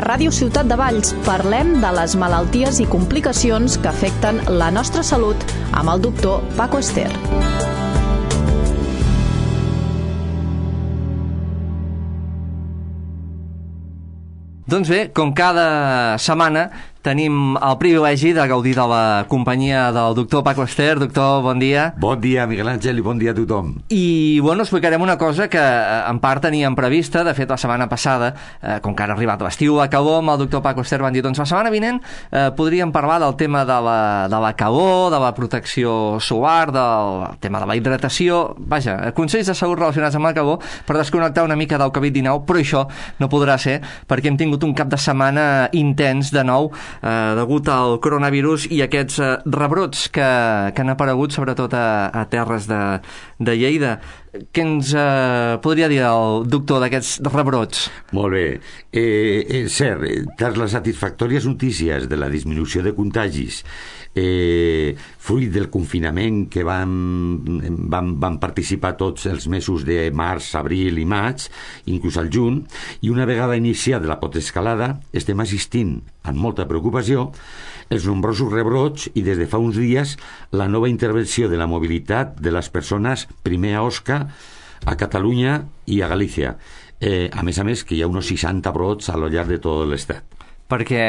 Ràdio Ciutat de Valls parlem de les malalties i complicacions que afecten la nostra salut amb el doctor Paco Ester. Doncs bé, com cada setmana tenim el privilegi de gaudir de la companyia del doctor Paco Ester. Doctor, bon dia. Bon dia, Miguel Àngel, i bon dia a tothom. I, bueno, explicarem una cosa que en part teníem prevista. De fet, la setmana passada, com que ara ha arribat l'estiu, la calor, amb el doctor Paco Ester van dir, doncs la setmana vinent podríem parlar del tema de la calor, de la protecció solar, del tema de la hidratació, vaja, consells de salut relacionats amb la calor per desconnectar una mica del Covid-19, però això no podrà ser perquè hem tingut un cap de setmana intens de nou degut al coronavirus i aquests rebrots que han aparegut sobretot a terres de Lleida. Què ens podria dir el doctor d'aquests rebrots? Molt bé. És cert, tras les satisfactòries notícies de la disminució de contagis fruit del confinament que van participar tots els mesos de març, abril i maig, inclús al juny, i una vegada iniciada la potescalada estem assistint amb molta preocupació els nombrosos rebrots i des de fa uns dies la nova intervenció de la mobilitat de les persones primer a Osca, a Catalunya i a Galícia. A més que hi ha uns 60 brots a lo llarg de tot l'estat. Perquè,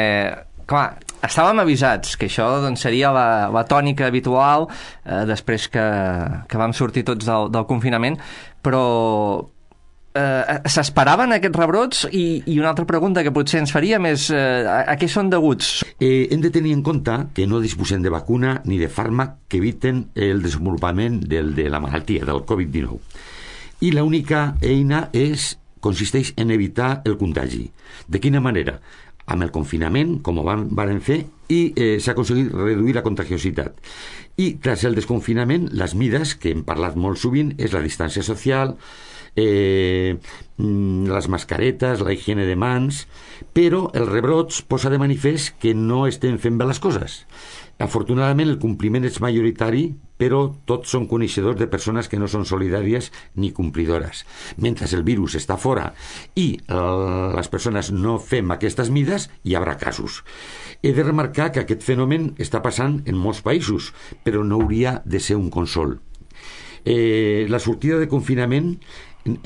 clar, estàvem avisats que això doncs, seria la tònica habitual després que vam sortir tots del confinament, però s'esperaven aquests rebrots? I una altra pregunta que potser ens faríem és a què són deguts? Hem de tenir en compte que no disposem de vacuna ni de fàrmac que eviten el desenvolupament de la malaltia, del Covid-19. I l'única eina consisteix en evitar el contagi. De quina manera? Amb el confinament, com ho van fer, i s'ha aconseguit reduir la contagiositat. I tras el desconfinament, les mides, que hem parlat molt sovint, és la distància social, les mascaretes, la higiene de mans, però els rebrots posa de manifest que no estem fent bé les coses. Afortunadament el compliment és majoritari, però tots són coneixedors de persones que no són solidàries ni complidores. Mentre el virus està fora i les persones no fem aquestes mides, hi haurà casos. He de remarcar que aquest fenomen està passant en molts països, però no hauria de ser un consol. La sortida de confinament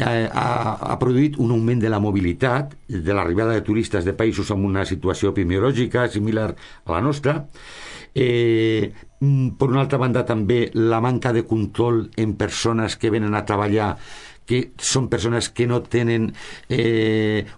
ha produït un augment de la mobilitat, de l'arribada de turistes de països amb una situació epidemiològica similar a la nostra. Per una altra banda també la manca de control en persones que venen a treballar, que són persones que no tenen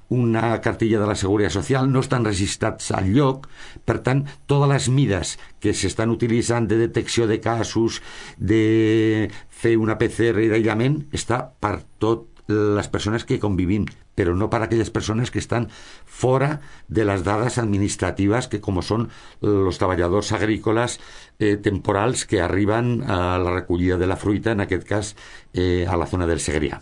una cartilla de la Seguretat Social, no estan registrats al lloc. Per tant, totes les mides que s'estan utilitzant de detecció de casos, de fer una PCR d'aïllament, està per totes les persones que convivim, però no per a aquelles persones que estan fora de les dades administratives, que com són els treballadors agrícoles temporals que arriben a la recollida de la fruita, en aquest cas a la zona del Segrià.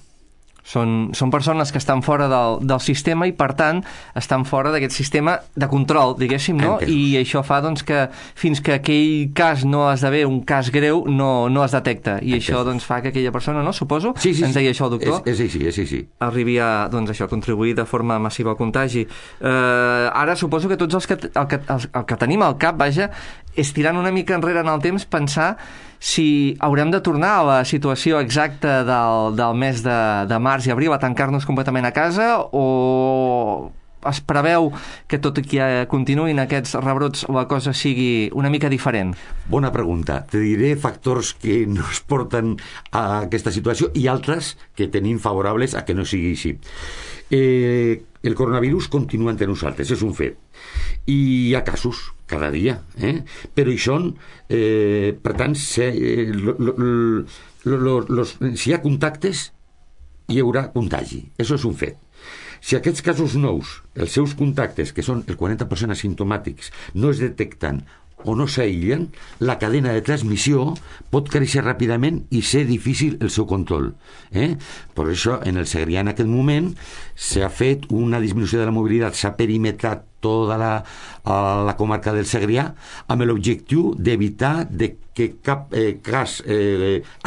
Són persones que estan fora del sistema i, per tant, estan fora d'aquest sistema de control, diguéssim, no? I això fa doncs, que fins que aquell cas no esdevé un cas greu, no es detecta. I això doncs, fa que aquella persona, no? Suposo? Sí. Ens deia això el doctor? És així. Arribi a contribuir de forma massiva al contagi. Ara suposo que tots el que tenim al cap, vaja, és tirant una mica enrere en el temps, pensar si haurem de tornar a la situació exacta del mes de març i abril, a tancar-nos completament a casa, o es preveu que tot i que continuïn aquests rebrots la cosa sigui una mica diferent? Bona pregunta. Te diré factors que nos porten a aquesta situació i altres que tenim favorables a que no sigui així. El coronavirus continua entre nosaltres, és un fet. I hi ha casos cada dia, però hi són, per tant, si hi ha contactes, hi haurà contagi. Això és un fet. Si aquests casos nous, els seus contactes, que són el 40% asimptomàtics, no es detecten o no s'aïllen, la cadena de transmissió pot créixer ràpidament i ser difícil el seu control. Per això, en el Segrià, en aquest moment, s'ha fet una disminució de la mobilitat, s'ha perimetrat tota la comarca del Segrià, amb l'objectiu d'evitar que cap cas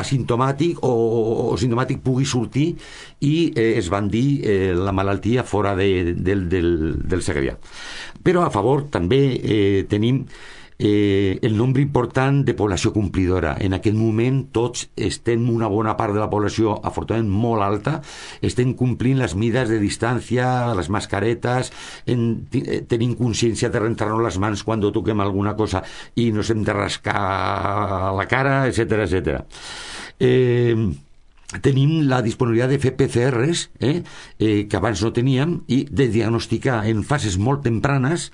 asimptomàtic o simptomàtic pugui sortir i esbandir la malaltia fora del Segrià. Però a favor també tenim el nombre important de població complidora. En aquest moment tots estem, una bona part de la població, afortunadament molt alta, estem complint les mides de distància, les mascaretes, tenim consciència de rentar-nos les mans quan toquem alguna cosa i nos hem de rascar la cara, etcètera, etcètera. Tenim la disponibilitat de fer PCRs que abans no teníem i de diagnosticar en fases molt tempranes.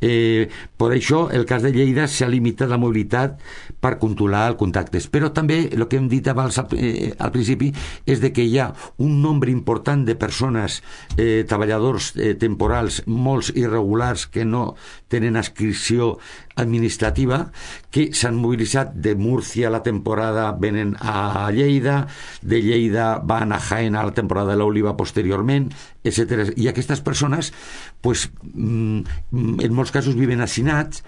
Per això el cas de Lleida s'ha limitat la mobilitat per controlar els contactes, però també el que hem dit abans al principi és de que hi ha un nombre important de persones, treballadors temporals, molts irregulars que no tenen adscripció administrativa, que s'han mobilitzat de Múrcia. La temporada venen a Lleida, de Lleida van a Jaén a la temporada de l'oliva posteriorment, etc. I aquestes persones pues, en molts casos viven hacinats,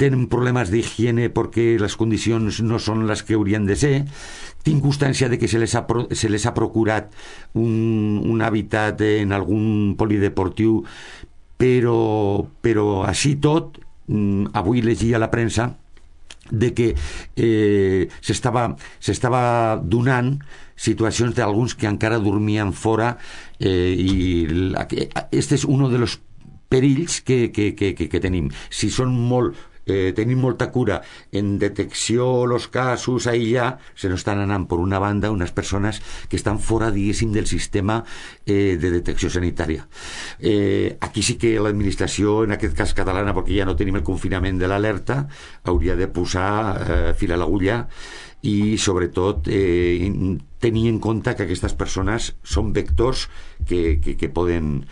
tenen problemes d'higiene perquè les condicions no són les que haurien de ser. Tinc constància de que se les ha procurat un hàbitat en algun polideportiu, però així tot, avui llegia a la premsa de que s'estava donant situacions d'alguns que encara dormien fora, i este és un dels perills que tenim. Si són tenim molta cura en detecció los casos, aïllar, se nos estan anant per una banda unes persones que estan fora, diguéssim, del sistema de detecció sanitària. Aquí sí que l'administració, en aquest cas catalana, perquè ja no tenim el confinament de l'alerta, hauria de posar fil a l'agulla i sobretot tenir en compte que aquestes persones són vectors que poden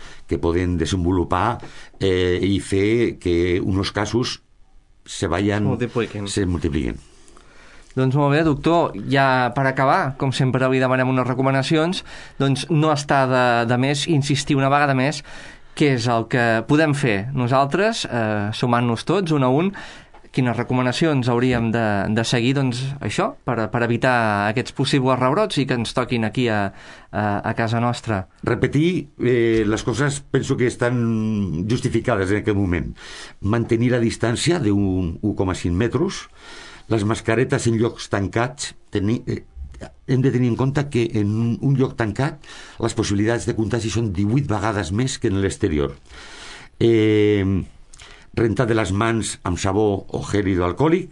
desenvolupar i fer que uns casos se multipliquen. Doncs molt bé, doctor, ja per acabar, com sempre li demanem unes recomanacions, doncs no està de més insistir una vegada més què és el que podem fer nosaltres, sumant-nos tots un a un, quines recomanacions hauríem de seguir, doncs això, per evitar aquests possibles rebrots i que ens toquin aquí a casa nostra. Repetir les coses, penso que estan justificades en aquest moment. Mantenir la distància d'un 1,5 metres, les mascaretes en llocs tancats, hem de tenir en compte que en un lloc tancat les possibilitats de contagi són 18 vegades més que en l'exterior. Rentar de les mans amb sabó o gel hidroalcohòlic.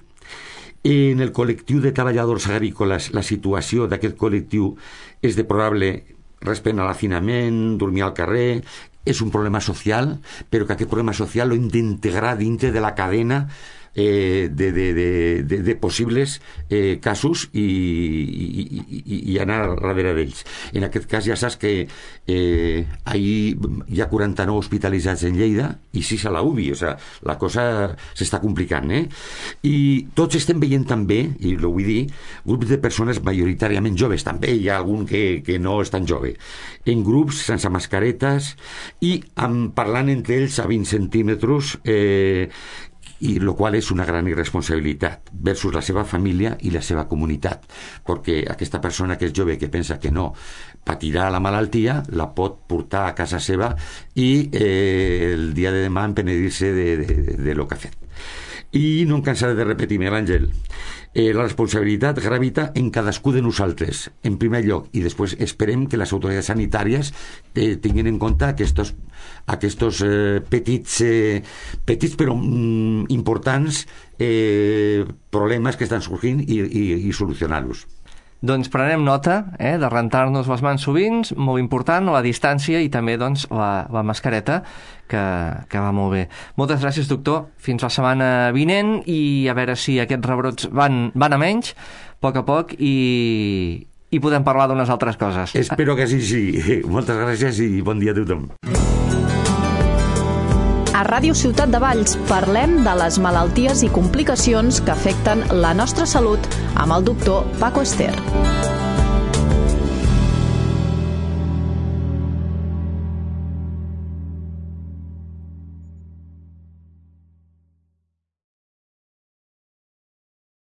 En el col·lectiu de treballadors agrícoles, la situació d'aquest col·lectiu és deplorable respecte a l'hacinament, dormir al carrer. És un problema social, però que aquest problema social l'hem d'integrar dintre de la cadena de possibles casos i anar darrere d'ells. En aquest cas ja saps que ahir hi ha 49 hospitalitzats en Lleida i 6 a la UBI, o sigui, la cosa s'està complicant, I tots estem veient també, i ho vull dir, grups de persones majoritàriament joves, també hi ha algun que no és tan jove, en grups sense mascaretes i parlant entre ells a 20 centímetres, i el qual és una gran irresponsabilitat versus la seva família i la seva comunitat, perquè aquesta persona que és jove, que pensa que no patirà la malaltia, la pot portar a casa seva i el dia de demà empenedir-se de lo que ha fet. I no em cansaré de repetir-me, l'Àngel, la responsabilitat gravita en cadascú de nosaltres, en primer lloc, i després esperem que les autoritats sanitàries tinguin en compte aquests petits però importants problemes que estan sorgint i solucionar-los. Doncs prenem nota de rentar-nos les mans sovint, molt important, la distància i també doncs, la mascareta, que va molt bé. Moltes gràcies, doctor. Fins la setmana vinent i a veure si aquests rebrots van a menys, a poc, i podem parlar d'unes altres coses. Espero que sí. Moltes gràcies i bon dia a tothom. A Ràdio Ciutat de Valls parlem de les malalties i complicacions que afecten la nostra salut amb el doctor Paco Ester.